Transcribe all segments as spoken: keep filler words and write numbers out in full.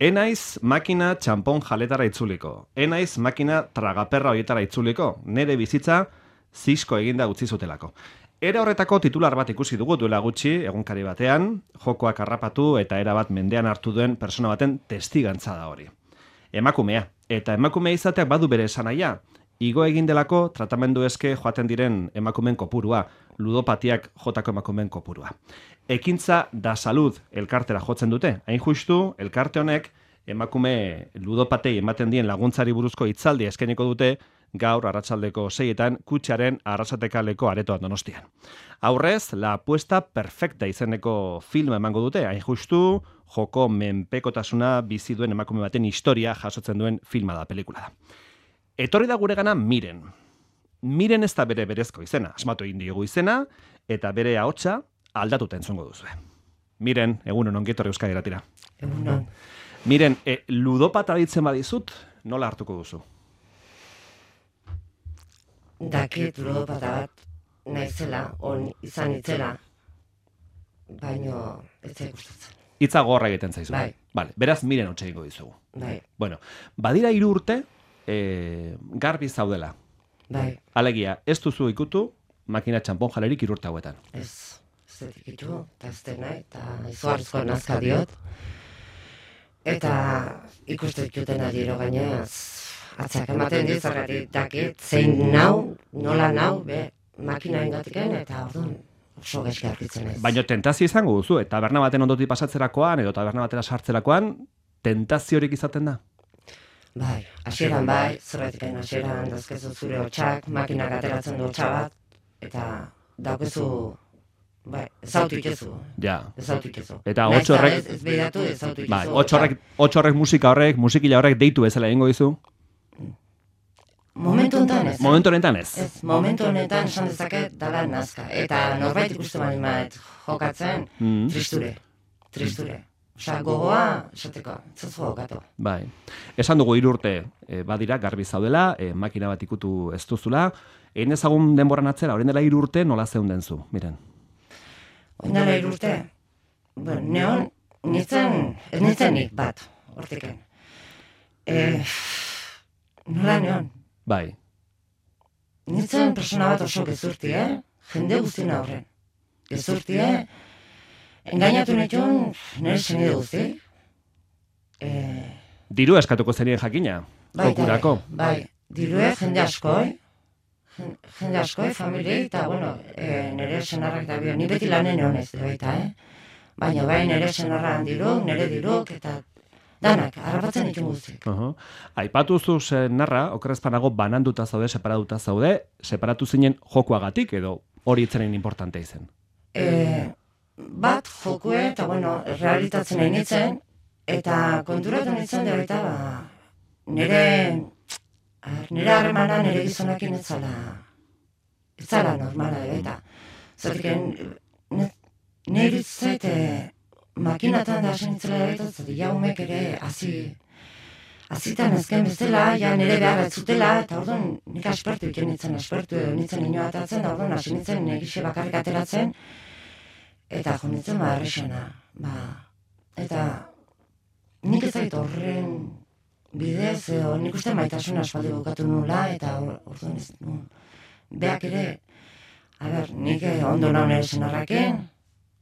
Enaiz makina txampon jaletara itzuliko. Enaiz makina tragaperra horietara itzuliko. Nere bizitza zisko eginda utzi zutelako. Era horretako titular bat ikusi dugu duela gutxi, egunkari batean, jokoak harrapatu eta era bat mendean hartu duen persona baten testigantza da hori. Emakumea. Eta emakumea izateak badu bere esanaia. Igo egin delako tratamendu eske joaten diren emakumen kopurua, ludopatiak jotako emakumen kopurua. Ekintza da salud elkartera jotzen dute. Hain justu, elkarte honek emakume ludopatei ematen dien laguntzari buruzko hitzaldia eskainiko dute gaur arratsaldeko seietan Kutxaren Arrasatekaleko aretoan Donostian. Aurrez, La apuesta perfecta izeneko filma emango dute, hain justu, joko menpekotasuna bizi duen emakume baten historia jasotzen duen filma da, pelikula da. Etorri da guregana Miren. Miren ez da bere berezko izena, asmatu egin diogu izena, eta bere ahotsa aldatuta entzungo duzue. Miren, egunon ongi etorri Euskadi Irratira. Egunon. Miren, e, ludopata ditzen badizut, nola hartuko duzu? Dakit ludopata bat naizela, on izan itzela, baino ez zait gustatzen. Hitza gorra egiten zaizu. Bai. Vale, beraz Miren hotxe egingo dizugu. Bai. Bueno, badira hiru urte, e, garbi zaudela. Bai. Alegia, ez duzu ikutu makina txampon jalerik hiru urte hauetan. Ez, ez dut ikitu, eta ez dut nahi, eta izugarrizko nazka diot. Eta ikustu ikuten adiro gainaz, atzak ematen dizarari dakit, zein nau, nola nau, be, makina ingatiken, eta orduan oso gaizki aurkitzen ez. Baina tentazio izango duzu, eta taberna baten ondotik pasatzerakoan, edo taberna batera sartzerakoan, tentaziorik izaten da? Bai, hasieran bai, zerretiken hasieran dazkezu zure hotxak, makinak ateratzen du hotxa bat, eta daukezu, bai, ezautu itezu. Ja. Ezautu itezu. Eta hotx horrek... Ez, ez behiratu ezautu itezu. Bai, hotx horrek, hotx horrek musika horrek, musikila horrek deitu bezala egingo dizu? Momentu honetan ez. Momentu honetan ez? Ez, momentu honetan esan dezaket dala nazka. Eta norbait ikustu bali maet jokatzen, Mm. tristure, tristure. Osa, gogoa, esateko, zazu jokatu. Bai. Esan dugu hiru urte e, badira, garbi zaudela, e, makina bat ikutu ez duzula. Egin ezagun denboran atzera, orain dela hiru urte nola zeunden zu, miren. Orain dela hiru urte, bueno, neon, nintzen, ez nintzenik bat, hortiken. E, nola neon? Bai. Nintzen persona bat oso gezurti, eh? Jende guztien aurren. Gezurti, eh? Engainatu nituen nire senide guzti. E, Diru eskatuko zenien jakina, bai, jokurako. bai, dirue jende askoi, jen- jende askoi, familiei, eta, bueno, e, nire senarrak da bio, ni beti lanen honez, baita, eh? Baina bai nire senarran diruk, nire diruk, eta danak, harrapatzen ditun guztik. Uh-huh. Aipatu zu narra, okerrezpanago bananduta zaude, separatuta zaude, separatu zinen jokuagatik edo hori itzenen importante izen. E, bat jokue, eta bueno, realitatzen nahi nintzen, eta konturatu nintzen da baita, ba, nire, a, nire harremana nire gizonakin ez zala, ez zala normala, eta zatik, nire zait, makinatan da hasen itzela da baita, zatik, jaumek ere, hazi, hazitan ezken bezala, ja nire behar ez zutela, eta orduan nik aspertu iten nintzen, aspertu edo nintzen ino atatzen, da orduan hasi nintzen egixe bakarrik ateratzen, eta jo nintzen ba errexena, ba, eta nik ez zait horren bidez, edo nik uste maitasuna aspaldi bukatu nula, eta or- orduan ez nun, beak ere, a ber, nik eh, ondo naun ere senarraken,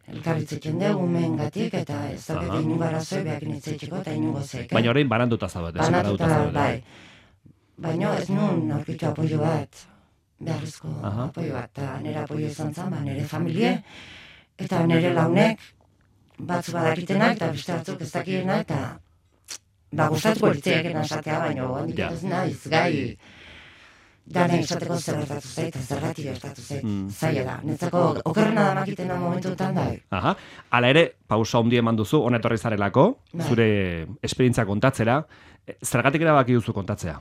elkarritzetzen dugu mengatik, eta ez Aha. dakit inungo arazoi beak nitzeitxeko, eta inungo zeik. Baina orain bananduta zaudete, separatuta Banatuta, zaudete. bai. Baina ez nun aurkitu apoio bat, beharrezko Aha. apoio bat, eta nire apoio izan zen, ba, nire familie, eta nire launek, batzu badakitenak, eta beste batzuk ez dakienak, eta ba, gustatuko litzeiakena esatea, baina handik Ja. ez naiz, gai, dana esateko zer gertatu zait, eta zergatik gertatu zait, Mm. zaila da. Netzako okerrena da makitena momentuetan da. Aha. Hala ere, pausa handi eman duzu, hona etorri zarelako, Bai. zure esperientzia kontatzera. E, Zergatik erabaki duzu kontatzea?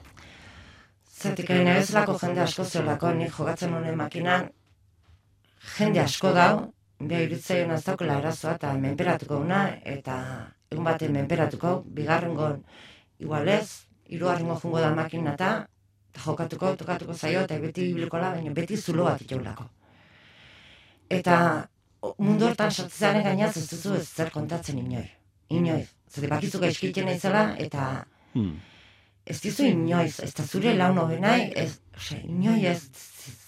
Zatik nire zelako jende asko zeolako, nik jogatzen honen makinan, jende asko dau, beha iritzaion ez daukela arazoa, eta menperatuko una, eta egun baten menperatuko, bigarrengon igualez, hirugarrengo jungo da makina eta jokatuko, tokatuko zaio, eta beti ibilikola, baina beti zulo bat itaulako. Eta o, mundu hortan sartzaren gainaz ez duzu ez zer kontatzen inoiz. Inoiz. Zede bakizu gaizkitzen naizela, eta Hmm. ez dizu inoiz, ez da zure laun hobenai, ez, ose, inoiz ez,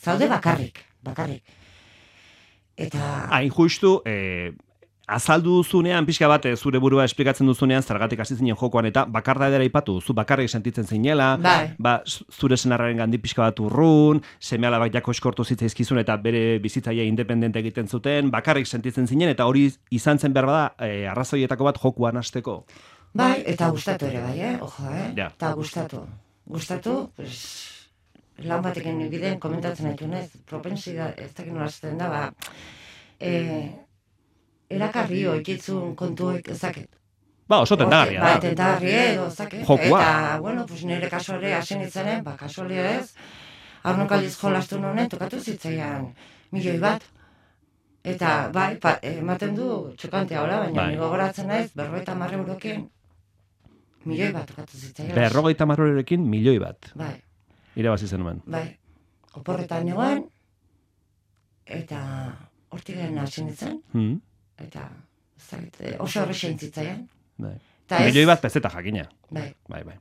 zaude bakarrik, bakarrik. Eta... Hain justu, eh, azaldu duzunean, pixka bat, eh, zure burua esplikatzen duzunean, zergatik hasi zinen jokoan, eta bakarda edera ipatu, zu bakarrik sentitzen zinela, Bai. ba, zure senarraren gandi pixka bat urrun, seme-alabak jako eskortu zitzaizkizun eta bere bizitzaia independente egiten zuten, bakarrik sentitzen zinen, eta hori izan zen behar bada, eh, arrazoietako bat jokuan hasteko. Bai, eta gustatu ere bai, eh? Ojo, eh? Ja. Eta gustatu. Gustatu, pues, lan batekin bideen komentatzen haitu nez, propensia, ez dakit nola zaten da, ba, eh, erakarri oikitzun kontuek ezaket. Ba, oso tendagarria Ba, da. tendagarri edo, ezaket. Jokua. Eta, bueno, pues nire kasuare hasen izanen, ba, kasualia ez, aurrenok aldiz jolastu nonen, tokatu zitzaian milioi bat. Eta, bai, pa, ematen du txokantea hola, baina Bai. nigo goratzen naiz, berrogeita hamar eurokin, milioi bat tokatu zitzaian. Berrogeita marrorekin milioi bat. Bai, Irabazi zenuen. bai. Oporretan negoen, eta hortik garen hasi nintzen, Hmm. eta ez dakit, eh, oso horrexein zitzaian. Bai. Eta ez, Milioi bat pezeta jakina. bai, Bai, bai.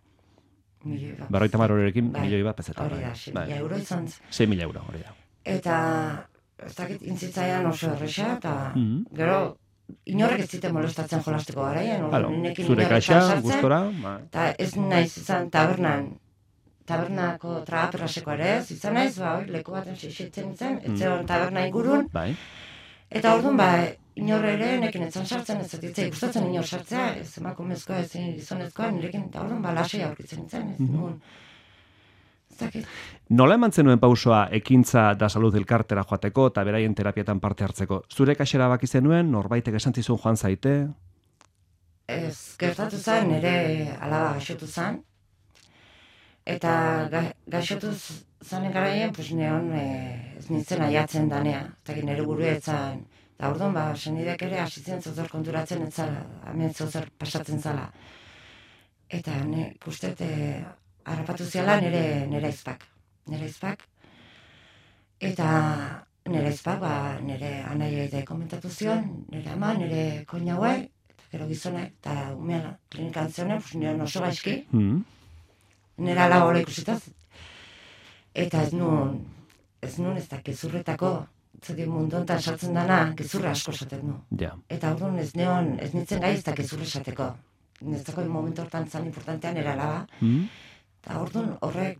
milioi bat. Berrogeita marrorekin Bai. milioi bat pezeta. Hori Bai. da, sei Bai. mila euro izan zen. sei mila euro, hori da. Eta ez dakit intzitzaian oso horrexa, eta Mhm. gero inorrek ez ziten molestatzen jolasteko garaian, Claro, orduan nirekin zure inorretan kaxa, sartzen, gustora, bai. eta ez naiz izan tabernan, tabernako tragaperraseko ere ez, izan naiz, ba, hori, leku baten seisetzen izan, ez zegoen taberna ingurun, Bai. eta orduan, ba, inor ere nekin etzan sartzen, ez zitzai gustatzen inor sartzea, ez emakumezkoa, ez gizonezkoa, nirekin, eta orduan, ba, lasai aurkitzen izan, ez nuen, ez dakit. Nola eman zenuen pausoa ekintza da salud elkartera joateko eta beraien terapietan parte hartzeko? Zure kaxera baki zenuen, norbaitek esan zizun joan zaite? Ez, gertatu zen, nire alaba gaixotu zen, eta ga, gaixotu zanen garaien, pues neon e, ez nintzen aiatzen danea, eta nire buru etzan, eta orduan, ba, senidek ere hasitzen zozer konturatzen etzala, hemen zozer pasatzen zala. Eta ne, kustet, e, harrapatu ziala nire, nire aizpak, nire aizpak, eta nire aizpak, ba, nire anaia ere komentatu zion, nire ama, nire koina hauei, gero gizonek, eta umean klinikan zionen, pues nire oso gaizki, Hmm. nire ala hori ikusitaz. Eta ez nun, ez nun ez da gezurretako, zedi mundu honetan sartzen dana, gezurra asko esaten du. Ja. Eta orduan ez neon, ez nintzen gai ez da gezurra esateko. Nezako momentu hortan zan importantean nire alaba. Hmm. Eta orduan horrek,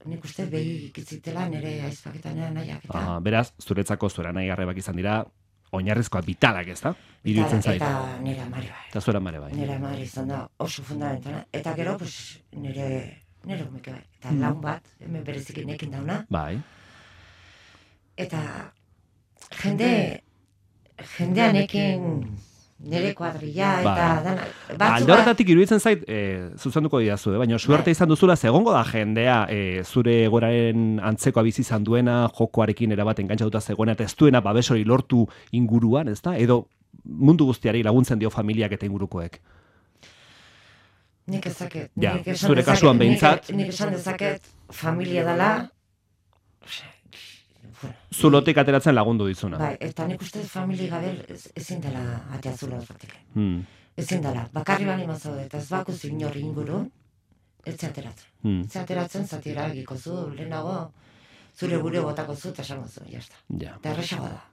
nik uste behi ikitzitela nire aizpaketan nire nahiak. Eta, Aha, beraz, zuretzako zure nahi garrebak izan dira, oinarrizkoak vitalak, ez da? Iruditzen zait. Eta nire amari bai. Eta zure mare bai. Nire amari izan da oso fundamentala. Eta gero, pues, nire, nire umeke bai. Eta Mm. laun bat, hemen berezik nekin dauna. Bai. Eta jende, jendeanekin nire kuadrilla eta Bai. dana. Alde Batzu horretatik iruditzen zait, e, zuzenduko didazu, eh? baina suerte Bai. izan duzula, zegongo da jendea e, zure egoraren antzekoa bizi izan duena, jokoarekin erabat engantzatuta zegoena, eta ez duena babes hori lortu inguruan, ez da? Edo mundu guztiari laguntzen dio familiak eta ingurukoek. nik ezaket. Ja, nik esan zure dezaket, kasuan nik- behintzat. Nik esan dezaket familia dela, osea, bueno, Zulotik ateratzen lagundu dizuna. bai, eta nik uste familia gabe ez- ezin dela atea zulo horretik. Hmm. Ezin dela, bakarri bali mazaude, eta ez baku inori ingurun, ez ateratzen. Hmm. Ez ateratzen zatira egiko zu, lehenago, zure buru botako zu, eta esango zu, jazta. Ja. Eta erresagoa da.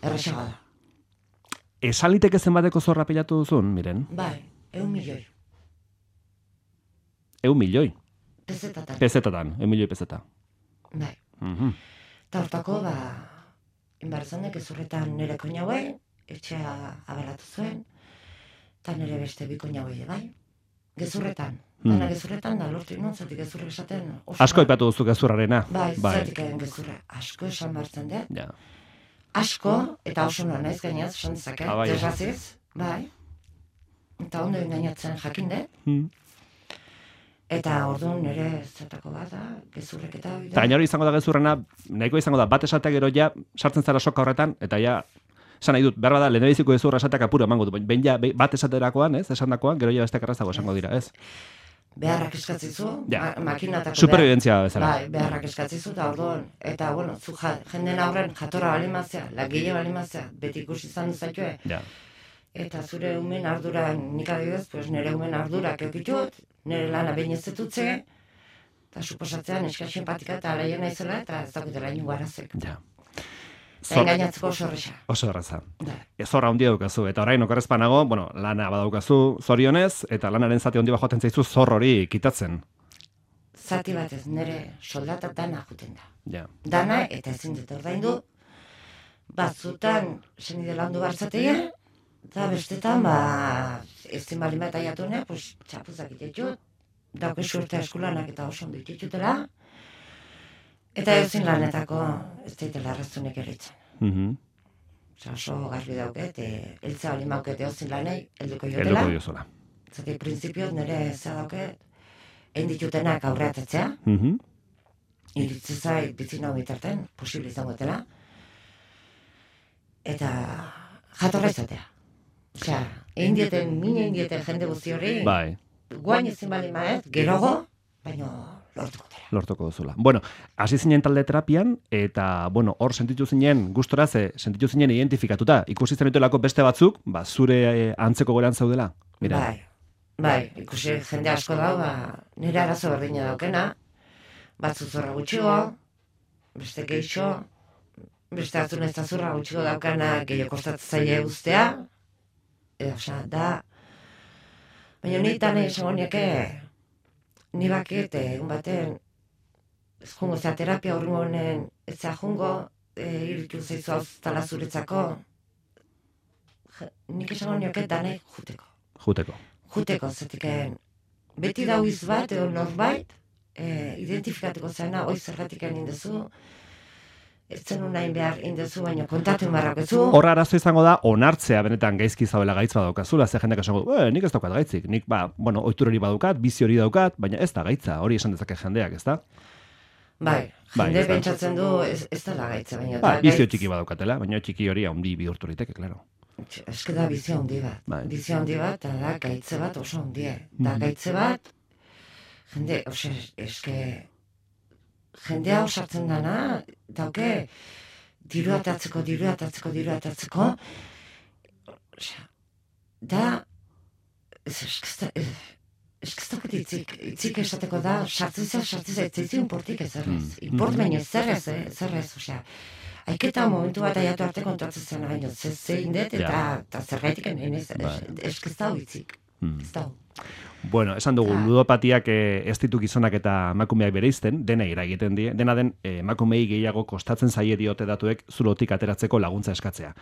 Erresagoa da. Esan liteke zenbateko zorra pilatu duzun, miren? Bai, eun milioi. Eun milioi. Pezetatan. Pezetatan, eun milioi pezeta. Bai. Mhm. Eta hortako, ba, inbarzanek ezurretan nire koina hauei, etxea abalatu zuen, eta nire beste bi koina hauei, bai. Gezurretan. Hmm. Dana gezurretan da lortu non, zatik gezurre esaten oso. Asko aipatu duzu gezurrarena. Bai, bai. zatik gezurre asko esan bartzen dut. Ja. Asko, eta oso noa naiz gainaz, esan dezaket, Ah, bai. desraziz, bai. Eta ondo engainatzen jakin dut. Hmm. Eta orduan nire zatako bat da, gezurrek eta hori Eta gaina hori izango da gezurrena, nahiko izango da, bat esatea gero ja, sartzen zara soka horretan, eta ja, esan nahi dut, behar bada, lehenbiziko gezurra esateak apuro emango du, behin ja, be- bat esaterakoan, ez, esandakoan, gero ja besteak errazago esango dira, ez? beharrak eskatzizu, Ja. ma makinatako Superviventzia bezala. Bai, beharrak eskatzizu, eta orduan, eta, bueno, zu ja, jenden aurren jatorra balimazia, lagile balimazia, beti ikusi izan duzatue, Ja. eta zure umen ardura, nik adibidez, pues nire umen ardurak eukitut, nire lana behin ez dutze, eta suposatzean eskaxen patika eta alaien naizela, eta ez dakutela ingo arazek. Ja. Eta engainatzeko oso horreza. Oso horreza. Zorra handia daukazu, eta orain okerrezpanago, bueno, lana badaukazu zorionez, eta lanaren zati handi bajoaten zaizu zor hori kitatzen. Zati batez, nire soldata dana juten da. Ja. Dana, eta ezin dut ordaindu, batzutan zenide landu barzatea, eta bestetan, ba, ezin bali bat aiatune, pues, txapuzak itetxut, dauke surte eskulanak eta oso ondo itetxutela, eta ezin lanetako ez daitela arrazunek eritzen. Mhm. Osa, oso garbi dauket, eltza bali maukete ozin lanei, helduko jotela. Helduko diozola. Zati, printzipioz nire zea dauket, egin ditutenak aurreatetzea, Mhm. iritzi zait bitzina bitarten, posible izango dela, eta jatorra izatea. Osea, egin dieten, mine egin dieten jende guzti hori, Bai. guain ezin bali maet, gerogo, baina lortuko dela. Lortuko duzula. Bueno, hasi zinen talde terapian, eta, bueno, hor sentitu zinen, gustora ze, sentitu zinen identifikatuta. Ikusi zenituelako beste batzuk, ba, zure eh, antzeko goran zaudela. Mira. Bai, bai, ikusi jende asko dau, ba, nire arazo berdina daukena, batzu zorra gutxigo, beste geixo, beste atzun ez da zorra gutxigo daukana gehiago kostatzaile ustea, edo, osea, da, baina ni tane esango nieke, ni bakit, egun baten, ez jungo, zera terapia horrengo honen, ez zera jungo, e, iritu zaizu hau tala zuretzako, Je- nik esango nioke dane juteko. Juteko. Juteko, zetiken, beti dauiz bat, edo norbait, e, identifikatuko zena, oi zergatik indezu, ez zen unain behar indezu, baina kontatu marrak ezu. Horra arazo izango da, onartzea benetan gaizki zaudela gaitz badaukazula, ze jendeak esango du, "Eh, nik ez daukat gaitzik, nik, ba, bueno, ohitur hori badaukat, bizi hori daukat, baina ez da gaitza, hori esan dezake jendeak, ez da? Bai, Bai, jende ez da. pentsatzen du, ez, ez da lagaitza, baina Ba, da bizio gaitz- txiki badaukatela, baina txiki hori handi bihurtu liteke, claro. Eske da bizio handi bat. Bai. Bizio handi bat, eta da gaitze bat oso handie. Da gaitze bat, jende, ose, eske, jendea osartzen dana, dauke, diru atatzeko, diru atatzeko, diru atatzeko, osea, da, ez, eske ez da, ez ez dakit itzik, itzik esateko da, sartzizea, sartzizea, ez zaizun portik ez errez. Import baino ez errez, eh, ez errez, osea, aiketa momentu bat aiatu arte kontatzen zen, baina ze zein dut, eta, Ja. eta zerbaitik egin ez, Bai. ez ez da itzik, Hmm. ez da. Bueno, esan dugu, Ah. ludopatiak eh, ez ditu gizonak eta emakumeak bereizten, dena eragiten die, dena den eh, emakumei gehiago kostatzen zaie diote datuek zulotik ateratzeko laguntza eskatzea.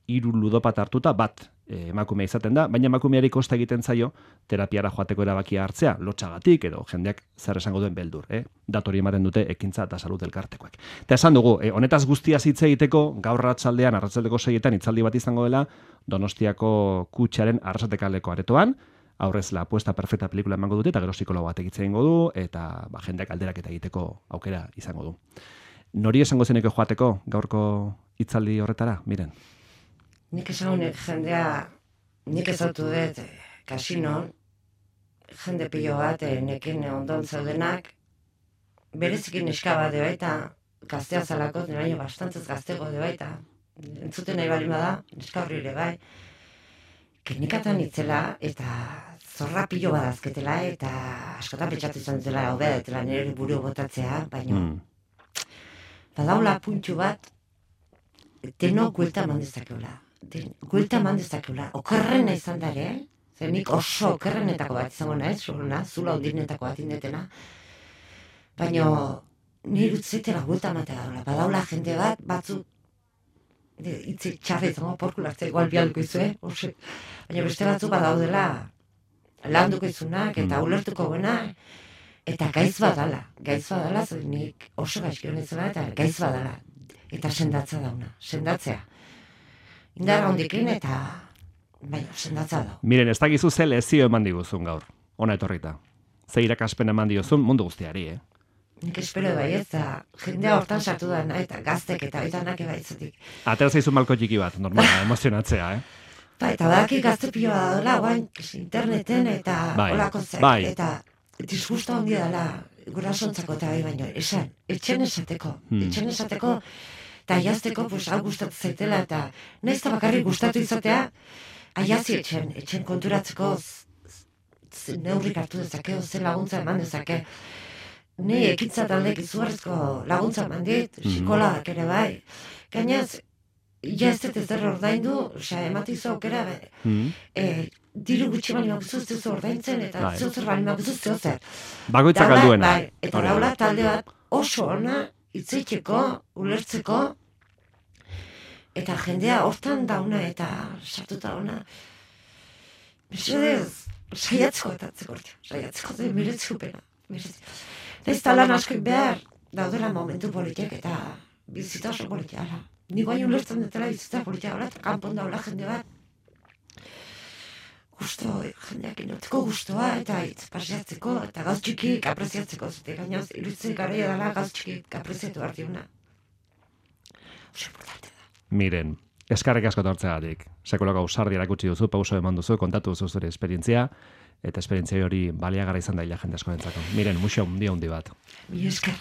Hiru ludopat hartuta bat eh, emakumea izaten da, baina emakumeari kosta egiten zaio terapiara joateko erabakia hartzea, lotsagatik edo jendeak zer esango duen beldur, eh? Datori ematen dute ekintza eta salud elkartekoak. Eta esan dugu, eh, honetaz guztia hitz egiteko gaur arratsaldean, arratsaldeko seietan hitzaldi bat izango dela Donostiako Kutxaren Arrasatekaleko aretoan, aurrez la apuesta perfecta pelikula emango dute, eta gero psikologo bat egitzen egingo du, eta ba, jendeak alderak eta egiteko aukera izango du. Nori esango zeneko joateko gaurko hitzaldi horretara, miren? Nik esan honek jendea, nik ezautu dut, eh, kasinon, jende pilo bat, eh, nekin ondon zaudenak, berezikin neska bat de baita, gaztea zalako, nire bastantzez gaztego de baita, entzuten nahi bali bada, neska horri ere bai, klinikatan itzela, eta zorra pilo bat azketela, eta askotan pentsatu izan zela, hobea detela nire buru botatzea, baina Mm. badaula puntxu bat, deno guelta eman dezakeula. Den, guelta eman dezakeula. Okerrena izan da ere, zer nik oso okerrenetako bat izango naiz, zuruna, zula ondinetako bat indetena. Baina, nire utzetela guelta ematea daula. Badaula jende bat, batzu, de, itzi txarra izango porkula hartzea, igual bialduko izue, ose. Baina beste batzu badaudela, landuko izunak, eta ulertuko buena, eta gaiz badala. Gaiz badala, zer nik oso gaizki honezela, eta gaiz badala. Eta sendatza dauna, sendatzea. Indarra hondikin eta, baina, sendatza dau. Miren, ez dakizu ze lezio eman diguzun gaur, ona etorrita. Ze irakaspen eman diozun mundu guztiari, eh? Nik espero bai ez da, jendea hortan sartu da, eta gaztek eta oitanak ebaitzetik. Atera zaizu malko txiki bat, normala, emozionatzea, eh? Ba, eta badaki gazte pilo bat daula, guain, interneten eta Bai, olako zek, bai. eta disgusto handia dela, gurasontzako eta bai baino, esan, etxen esateko, Hmm. etxen esateko, eta jazteko, pues, hau gustatzen zaitela, eta nahiz eta bakarrik gustatu izatea, aiazi etxen, etxen konturatzeko neurrik hartu dezake, ze laguntza eman dezake. Ni ekintza taldek izugarrizko laguntza eman dit, psikologak ere bai. Gainaz, ja ez dut ez derro ordaindu, osea, ematizu aukera, diru gutxi bali makuzu ez ordaintzen, eta zeozer bali makuzu zeozer. Bakoitzak alduena. Eta daula talde bat oso ona, itzeiteko, ulertzeko, eta jendea hortan dauna eta sartuta dauna. Mesedez, saiatzeko eta atzekortia, saiatzeko eta miretzeko pena. Ez talan askoik behar, daudela momentu politiak eta bizita oso politiara. Ni guai ulertzen dutela bizita politiara, eta kanpon daula jende bat. Gusto, jendeak inotzeko gustoa, eta hitz paseatzeko, eta gauz txikik apreziatzeko, zute gainoz, iruditzen garaia dela gauz txikik apreziatu hartiuna. Oso importante da. Miren, eskarrik asko tortzegatik. Sekulako ausardi erakutsi duzu, pauso eman duzu, kontatu duzu zure esperientzia, eta esperientzia hori baliagarra izan da hila jende askorentzako. Miren, muxo, hundi hundi bat. Mi esker.